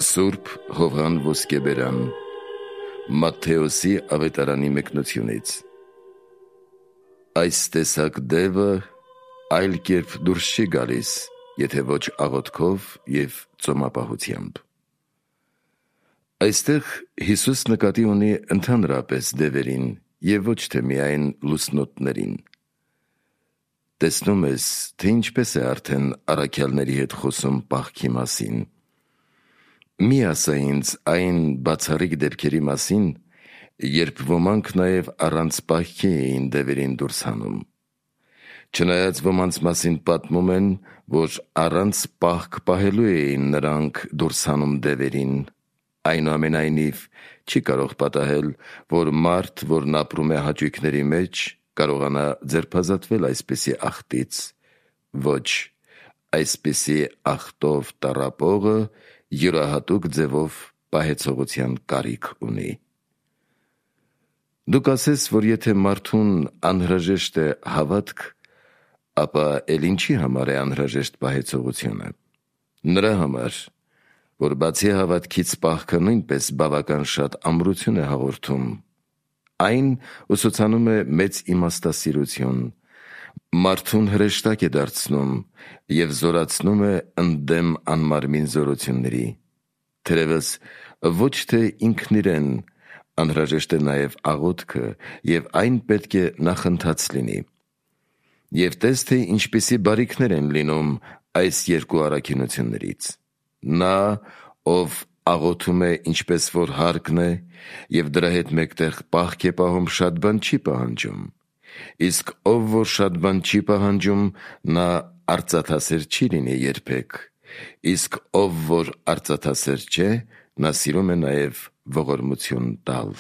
Սուրբ Հովհան Ոսկեբերան Մատթեոսի ավետարանի մեկնությունից Այս տեսակ դևը այլ կերպ դուրս չի գալիս, եթե ոչ աղոթքով և ծոմապահությամբ։ Այստեղ Հիսուս նկատի ունի ընդհանրապես դևերին և ոչ թե միայն լուսնոտներին։ Տեսնում ես, թե ինչպես է արդեն առաքյալների հետ խոսում պահքի մասին։ Մի ասա ինձ այն բացառիկ դեպքերի մասին, երբ ոմանք նաև առանց պահքի էին դևերին դուրս հանում։ Չնայած ոմանց մասին պատմում են, որ առանց պահք պահելու էին նրանք դուրս հանում դևերին, այնուամենայնիվ չի կարող պատահել, որ մարդ, որն ապրում է հաճույքների մեջ, կարողանա ձերբազատվել այսպիսի աղտից։ Ոչ, այսպիսի աղտով տառապողը յուրահատուկ ձևով պահեցողության կարիք ունի։ Դուք ասես, որ եթե մարդուն անհրաժեշտ է հավատք, ապա էլ ինչի համար է անհրաժեշտ պահեցողությունը։ Նրա համար, որ բացի հավատքից պահքը նույնպես բավական շատ ամրություն է հաղորդում, այն ուսուցանում է մեծ իմաստասիրություն, մարդուն հրեշտակ է դարձնում և զորացնում է ընդդեմ անմարմին զորությունների։ Թերևս ոչ թե ինքն իրեն անհրաժեշտ է նաև աղոթքը և այն պետք է նախընթաց լինի։ Եվ տես, թե ինչպիսի բարիքներ են լինում այս երկու առաքինություններից։ Նա, ով աղոթում է ինչպես որ հարկն է և դրա հետ մեկտեղ պահք է պահում, շատ բան չի պահանջում, իսկ ով որ շատ բան չի պահանջում, նա արծաթասեր չի լինի երբեք, իսկ ով որ արծաթասեր չէ, նա սիրում է նաև ողորմություն տալ։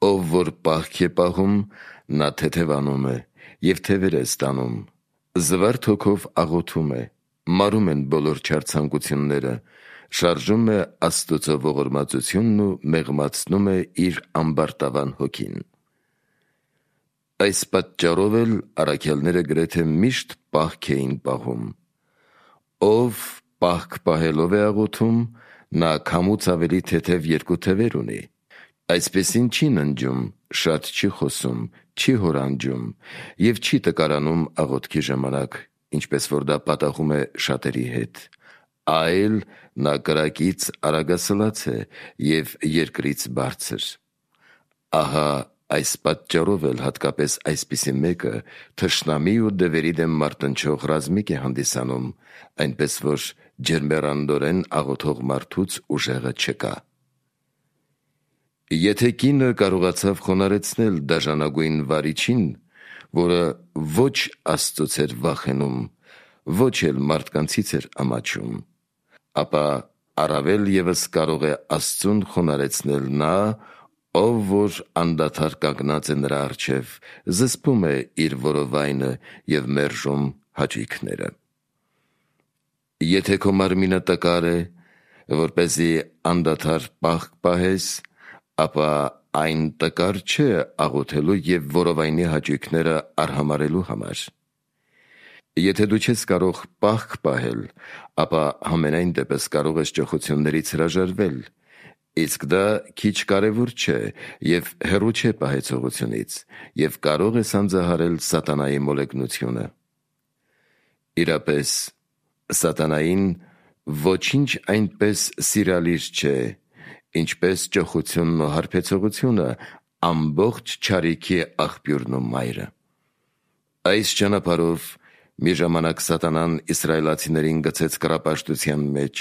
Ով որ պահք է պահում, նա թեթևանում է և թևեր է ստանում, զվարթ հոգով աղոթում է, մարում են բոլոր չար ցանկությունները, շարժում է Աստծո ողորմածությունն ու մեղմացնում է իր ամբարտավան հոգին։ Այս պատճառով էլ առաքյալները գրեթե միշտ պահք էին պահում։ Ով պահք պահելով է աղոթում, նա քամուց ավելի թեթև երկու թևեր ունի։ Այսպիսին չի ննջում, շատ չի խոսում, չի հորանջում և չի տկարանում աղոթքի ժամանակ, ինչպես որ դա պատահում է շատերի հետ, այլ նա կրակից արագասլաց է և երկրից բարձր։ Ահա այս պատճառով էլ հատկապես այսպիսի մեկը թշնամի ու դևերի դեմ մարտնչող ռազմիկ է հանդիսանում, այնպես որ ջերմեռանդորեն աղոթող մարդուց ուժեղը չկա։ Եթե կինը կարողացավ խոնարհեցնել դաժանագույն վարիչին, որը ոչ Աստծուց էր վախենում, ոչ էլ մարդկանցից էր ամաչում, ապա առավել ևս կարող է Աստծուն խոնարհեցնել նա, ով որ անդադար կանգնած է նրա առջև, զսպում է իր որովայնը և մերժում հաճույքները։ Եթե քո մարմինը տկար է, որպեսզի անդադար պահք պահես, ապա այն տկար չէ աղոթելու և որովայնի հաճույքները արհամարհելու համար։ Եթե դու չես կարող պահք պահել, ապա համենայն դեպս կարող ես ճոխություններից հրաժարվել, իսկ դա քիչ կարևոր չէ և հեռու չէ պահեցողությունից, և կարող ես հանձահարել սատանայի մոլեգնությունը։ Իրապես, սատանային ոչինչ այնպես սիրալիր չէ, ինչպես ճոխությունն ու հարբեցողությունը, ամբողջ չարիքի աղբյուրն ու մայրը։ Այս ճանապարհով մի ժամանակ սատանան իսրայելացիներին գցեց կռապաշտության մեջ,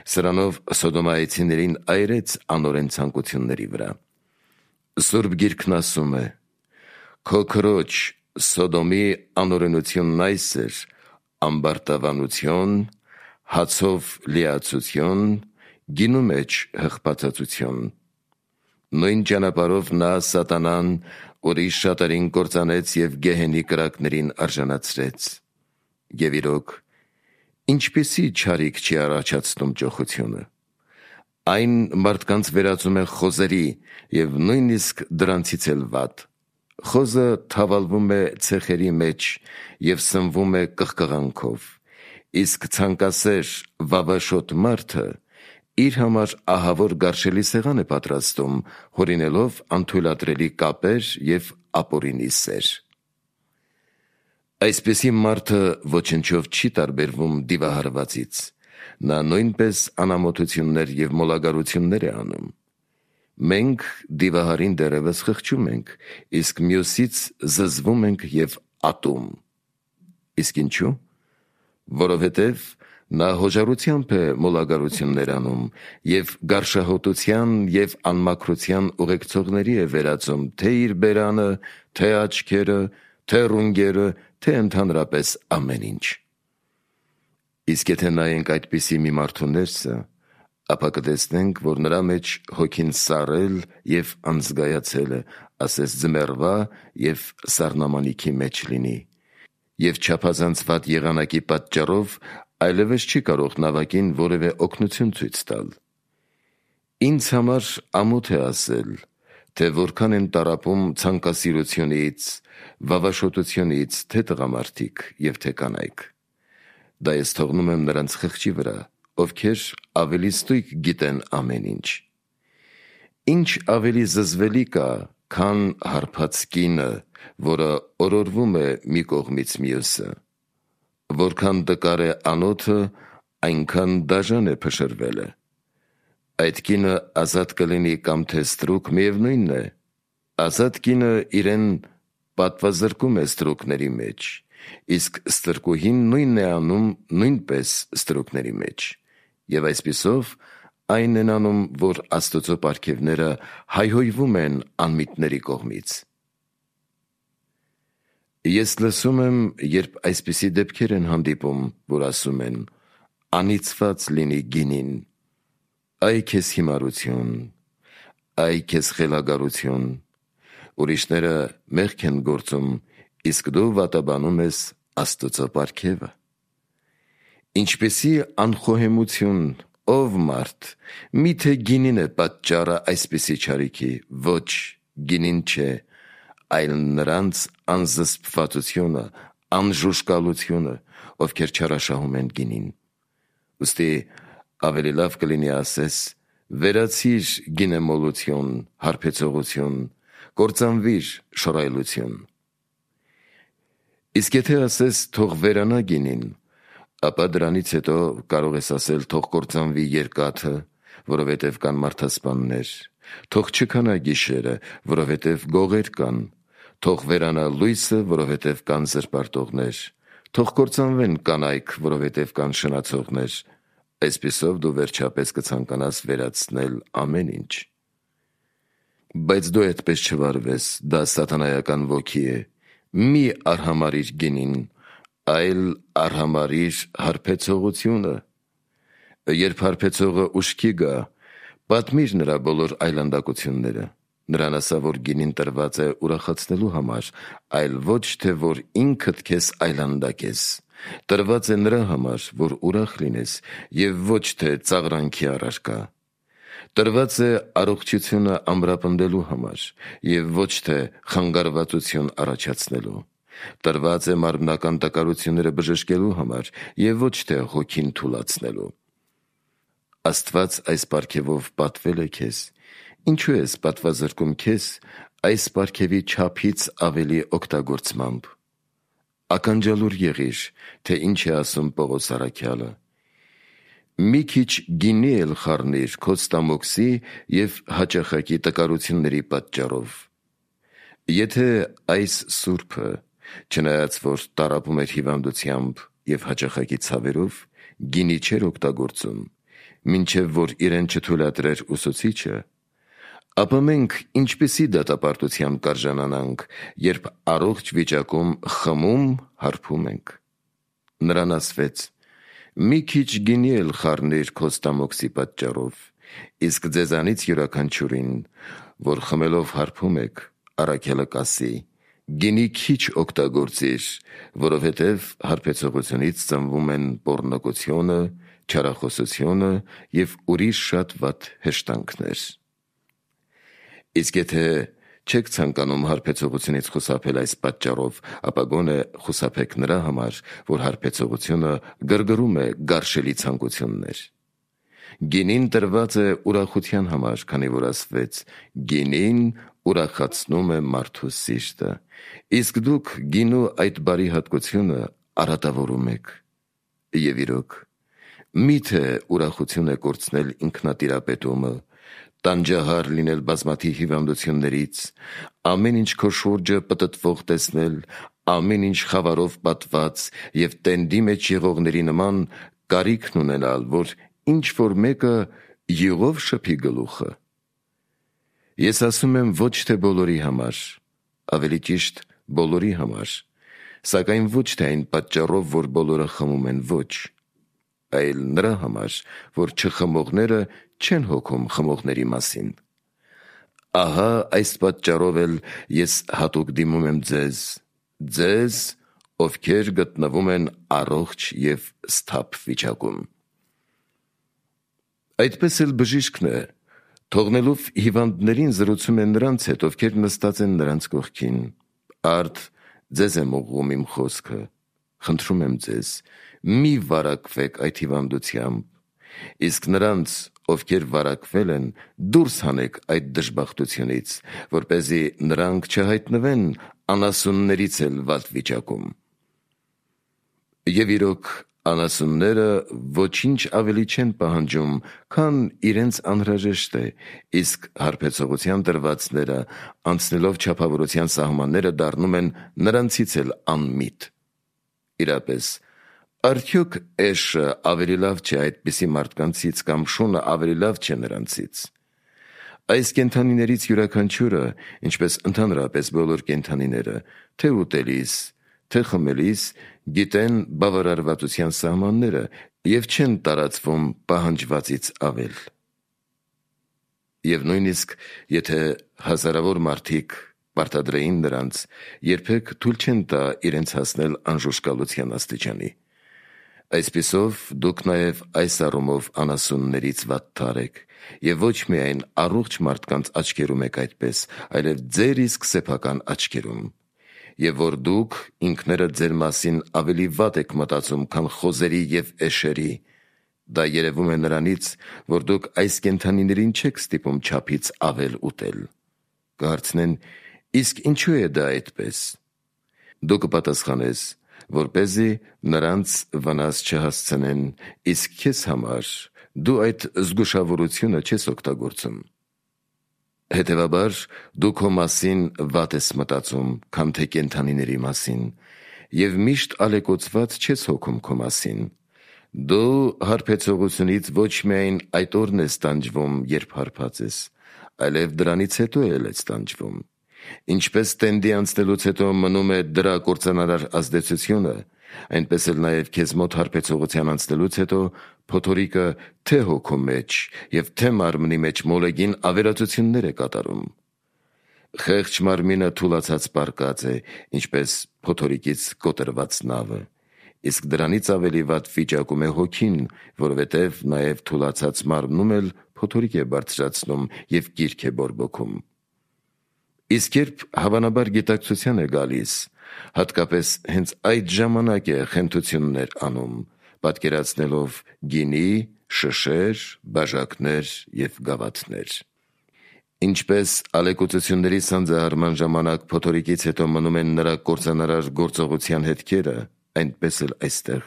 սրանով սոդոմայեցիներին այրեց անօրեն ցանկությունների վրա։ Սուրբ Գիրքն ասում է. «Քո քրոջ Սոդոմի անօրենությունն այս էր. ամբարտավանություն, հացով լիացություն, գինու մեջ հղբացածություն»։ Նույն ճանապարհով նա սատանան ուրիշ շատերին կործանեց և գեհենի կրակներին արժանացրեց։ Եվ իրոք, ինչպիսի չարիք չի առաջացնում ճոխությունը։ Այն մարդկանց վերածում է խոզերի և նույնիսկ դրանցից էլ վատ։ Խոզը թավալվում է ցեխերի մեջ և սնվում է կղկղանքով, իսկ ցանկասեր վավաշոտ մարդը իր համար ահավոր գարշելի սեղան է պատրաստում, հորինելով անթույլատրելի կապեր և ապօրինի սեր։ Այսպիսի մարդը ոչնչով չի տարբերվում դիվահարվածից, նա նույնպես անամոթություններ և մոլագարություններ է անում։ Մենք դիվահարին դեռևս խղճում ենք, իսկ մյուսից զզվում ենք և ատում։ Իսկ ինչու՞։ Որովհետև նա հոժարությամբ է մոլագարություններ անում և գարշահոտության և անմաքրության ուղեկցողների է վերածում թե իր բերանը, թե աչքերը, թե ռունգերը, թե ընդհանրապես ամեն ինչ։ Իսկ եթե նայենք այդպիսի մի մարդու ներսը, ապա կտեսնենք, որ նրա մեջ հոգին սառել և անզգայացել է, ասես ձմեռվա և սառնամանիքի մեջ լինի, և չափազանցված եղանակի պատճառով այլևս չի կարող նավակին որևէ օգնություն ցույց տալ։ Ինձ համար ամոթ է ասել, թե որքան են տառապում ցանկասիրությունից, վավաշոտությունից թե տղամարդիկ և թե կանայք։ Դա ես թողնում եմ նրանց խղճի վրա, ովքեր ավելի ստույգ գիտեն ամեն ինչ։ Ինչ ավելի զզվելի կա, քան հարբած կինը, որը օրորվում է մի կողմից մյուսը։ Որքան տկար է անոթը, այնքան դաժան է փշրվելը։ Այդ կինը ազատ կլինի կամ թե ստրուկ, միևնույնն է։ Ազատ կինը իրեն պատվազրկում է ստրուկների մեջ, իսկ ստրկուհին նույնն է անում նույնպես ստրուկների մեջ, և այսպիսով այն են անում, որ Աստծո պարգևները հայհոյվում են անմիտների կողմից։ Ես լսում եմ, երբ այսպիսի դեպքեր են հանդիպում, որ ասում են. «Անիծված լինի գինին, այ քեզ հիմարություն, այ քեզ խելագարություն», ուրիշները մեղք են գործում, իսկ դու վատաբանում ես Աստծո պարգևը։ Ինչպիսի անխոհեմություն, ով մարդ, միթե գինին է պատճառը այսպիսի չարիքի։ Ոչ, գինին չէ, այլ նրանց անզսպվածությունը, անժուժկալությունը, ովքեր չարաշահում են գինին։ Ուստի ավելի լավ կլինի ասես. վերացիր գինեմոլություն, հարբեցողություն, կործանվիր շռայլություն։ Իսկ եթե ասես թող վերանա գինին, ապա դրանից հետո կարող ես ասել թող կործանվի երկաթը, որովհետև կան մարդասպաններ, թող չքանա գիշերը, որովհետև գողեր կան, թող վերանա լույսը, որովհետև կան զրպարտողներ, թող կործանվեն կանայք, որովհետև կան շնացողներ։ Այսպիսով դու վերջապես կցանկանաս վերացնել ամեն ինչ։ Բայց դու այդպես չվարվես, դա սատանայական ոգի է։ Մի արհամարհիր գինին, այլ արհամարհիր հարբեցողությունը։ Երբ հարբեցողը ուշքի գա, պատմիր նրա բոլոր այլանդակությունները։ Նրան ասա, որ գինին տրված է ուրախացնելու համար, այլ ոչ թե որ ինքդ քեզ այլանդակես։ Տրված է նրա համար, որ ուրախ լինես, և ոչ թե ծաղրանքի առարկա։ Տրված է առողջությունը ամրապնդելու համար, և ոչ թե խանգարվածություն առաջացնելու։ Տրված է մարմնական տկարությունները բժշկելու համար, և ոչ թե հոգին թուլացնելու։ Աստված այս պարգևով պատվել է քեզ։ Ինչու ես պատվազրկում քեզ այս պարգևի չափից ավելի օգտագործմամբ։ Ականջալուր եղիր, թե ինչ է ասում Պողոս առաքյալը. «Մի քիչ գինի էլ խառնիր քո ստամոքսի և հաճախակի տկարությունների պատճառով»։ Եթե այս սուրբը, չնայած որ տառապում էր հիվանդությամբ և հաճախակի ցավերով, գինի չէր օգտագործում, մինչև որ իրեն չթույլատրեր ուսուցիչը, ապա մենք ինչպիսի դատապարտության կարժանանանք, երբ առողջ վիճակում խմում, հարբում ենք։ Նրան ասվեց. «Մի քիչ գինի էլ խառնիր քո ստամոքսի պատճառով, իսկ ձեզանից յուրաքանչյուրին, որ խմելով հարբում եք, առաքյալը կասի. գինի քիչ օգտագործիր, որովհետև հարբեցողությունից ծնվում են պոռնկությունը, չարախոսությունը և ուրիշ շատ վատ հեշտանքներ»։ Իսկ եթե չեք ցանկանում հարբեցողությունից խուսափել այս պատճառով, ապա գոնե խուսափեք նրա համար, որ հարբեցողությունը գրգռում է գարշելի ցանկություններ։ Գինին տրված է ուրախության համար, քանի որ ասվեց. գինին ուրախացնում է մարդու սիրտը, իսկ դուք գինու այդ բարի հատկությունը արատավորում եք։ Եվ իրոք, միթե ուրախություն է կորցնել ինքնատիրապետումը, տանջահար լինել բազմաթիվ հիվանդություններից, ամեն ինչ քո շուրջը պտտվող տեսնել, ամեն ինչ խավարով պատված և տենդի մեջ եղողների նման կարիքն ունենալ, որ ինչ-որ մեկը յուղով շփի գլուխը։ Ես ասում եմ ոչ թե բոլորի համար, ավելի ճիշտ բոլորի համար, սակայն ոչ թե այն պատճառով, որ բոլորը խմում են, ոչ, այլ նրա համար, որ չխմողները չեն հոգում խմողների մասին։ Ահա այս պատճառով էլ ես հատուկ դիմում եմ ձեզ, ովքեր գտնվում են առողջ և սթափ վիճակում։ Այդպես էլ բժիշկն է, թողնելով հիվանդներին զրուցում է նրանց հետ, ովքեր նստած են նրանց կողքին. Արդ ձեզ եմ ուղղում իմ խոսքը, խնդրում եմ ձեզ, մի վարակվեք այդ հիվանդությամբ, իսկ նրանց, ովքեր վարակվել են, դուրս հանեք այդ դժբախտությունից, որպեսզի նրանք չհայտնվեն անասուններից էլ վատ վիճակում։ Եվ իրոք անասունները ոչինչ ավելի չեն պահանջում, քան իրենց անհրաժեշտ է, իսկ հարբեցողության տրվածները, անցնելով չափավորության սահմանները, դառնում են նրանցից էլ անմիտ։ Իրապես, արդյոք էշը ավելի լավ չէ այդպիսի մարդկանցից կամ շունը ավելի լավ չէ նրանցից։ Այս կենդանիներից յուրաքանչյուրը, ինչպես ընդհանրապես բոլոր կենդանիները, թե ուտելիս, թե խմելիս, գիտեն բավարարվածության սահմանները և չեն տարածվում պահանջվածից ավել։ Եվ նույնիսկ եթե հազարավոր մարդիկ պարտադրեին նրանց, երբեք թույլ չեն տա իրենց հասնել անժուշկալության աստիճանի։ Այսպիսով դուք նաև այս առումով անասուններից վատթար եք և ոչ միայն առողջ մարդկանց աչքերում եք այդպես, այլև ձեր իսկ սեփական աչքերում, և որ դուք ինքներդ ձեր մասին ավելի վատ եք մտածում, քան խոզերի և էշերի, դա երևում է նրանից, որ դուք այս կենդանիներին չեք ստիպում չափից ավել ուտել։ Կհարցնեն. իսկ ինչու է դա այդպես։ Դու կպատասխանես, որպեսզի նրանց վնաս չհասցնեն, իսկ քեզ համար դու այդ զգուշավորությունը չես օգտագործում։ Հետևաբար, դու քո մասին վատ ես մտածում, քան թե կենդանիների մասին, և միշտ ալեկոծված չես հոգում քո մասին։ Դու հարբեցողությունից ոչ միայն այդ օրն ես տանջվում, երբ հարբած ես, այլև դրանից հետո էլ ես տանջվում։ Ինչպես տենդի անցնելուց հետո մնում է դրա կործանարար ազդեցությունը, այնպես էլ նաև քեզ մոտ հարբեցողության անցնելուց հետո փոթորիկը թե հոգու մեջ և թե մարմնի մեջ մոլեգին ավերածություններ է կատարում։ Խեղճ մարմինը թուլացած պառկած է, ինչպես փոթորիկից կոտրված նավը, իսկ դրանից ավելի վատ վիճակում է հոգին, որովհետև նաև թուլացած մարմնում էլ փոթորիկ է բարձրացնում և կիրք է բորբոքում։ Իսկ երբ հավանաբար գիտակցության է գալիս, հատկապես հենց այդ ժամանակ է խենթություններ անում, պատկերացնելով գինի, շշեր, բաժակներ և գավաթներ։ Ինչպես ալեկոծությունների սանձահարման ժամանակ փոթորիկից հետո մնում են նրա կործանարար գործողության հետքերը, այնպես էլ այստեղ։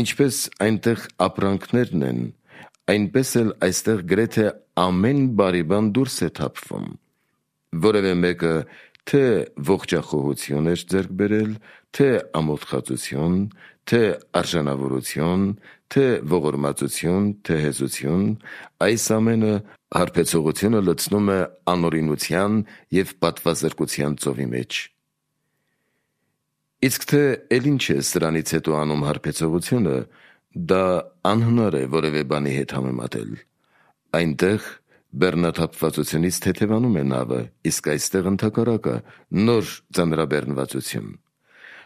Ինչպես այնտեղ ապրանքներն են, այնպես էլ այստեղ գրեթե ամեն բարի բան դուրս է թափվում։ Որևէ մեկը թե ողջախոհություն էր ձեռք բերել, թե ամոթխածություն, թե արժանավորություն, թե ողորմածություն, թե հեզություն, այս ամենը հարբեցողությունը լցնում է անօրինության և պատվազրկության ծովի մեջ։ Իսկ թե էլ ինչ է սրանից հետո անում հարբեցողությունը, դա անհնար է որևէ բանի հետ համեմատել։ Այնտեղ բեռնաթափվածությունից թեթևանում է նավը, իսկ այստեղ ընդհակառակը նոր ձանրաբեռնվածություն։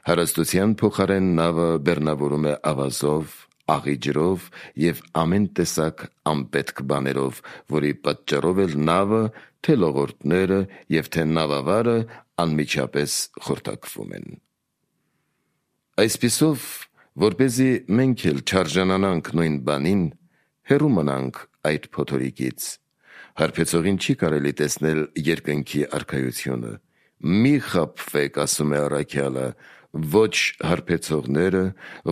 Հարստության փոխարեն նավը բեռնավորում է ավազով, աղի ջրով և ամեն տեսակ անպետք բաներով, որի պատճառով էլ նավը, թե լողորդները և թե նավավարը անմիջապես խորտակվում են։ Այսպիսով, որպեսզի մենք էլ չարժանանանք նույն բանին, հեռու մնանք այդ փոթորիկից։ Հարբեցողին չի կարելի տեսնել երկնքի արքայությունը։ Մի խաբվեք, ասում է առաքյալը, ոչ հարբեցողները,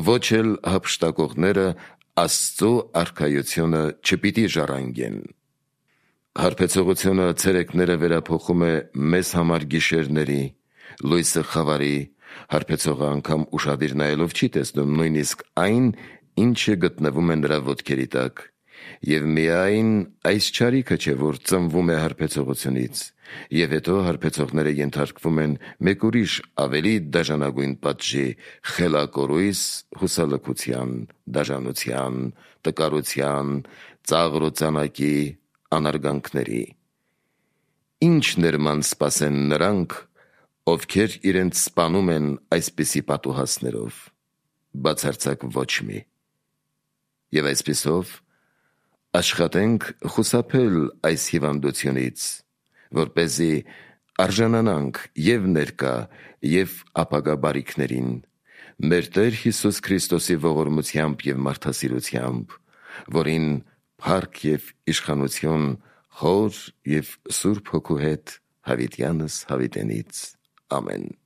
ոչ էլ հափշտակողները Աստծո արքայությունը չպիտի ժառանգեն։ Հարբեցողությունը ցերեկները վերափոխում է մեզ համար գիշերների, լույսը խավարի, հարբեցողը անգամ ուշադիր նայելով չի տեսնում նույնիսկ այն, ինչը գտնվում է նրա ոտքերի տակ, և միայն այս չարիքը չէ, որ ծնվում է հարբեցողությունից, և հետո հարբեցողները ենթարկվում են մեկ ուրիշ ավելի դաժանագույն պատժի՝ խելակորույս հուսալքության, դաժանության, տկարության, ծաղր ու ծանակի, անարգանքների։ Ինչ ներման սպասեն նրանք, ովքեր իրենց սպանում են այսպիսի պատուհասներով։ Բացարձակ ոչ մի։ Եվ այսպիսով աշխատենք խուսափել այս հիվանդությունից, որպեսզի արժանանանք և ներկա, և ապագա բարիքներին, մեր Տեր Հիսուս Քրիստոսի ողորմությամբ և մարդասիրությամբ, որին փառք և իշխանություն Հոր և Սուրբ Հոգու հետ հավիտյանս հավիտենից։ Ամեն։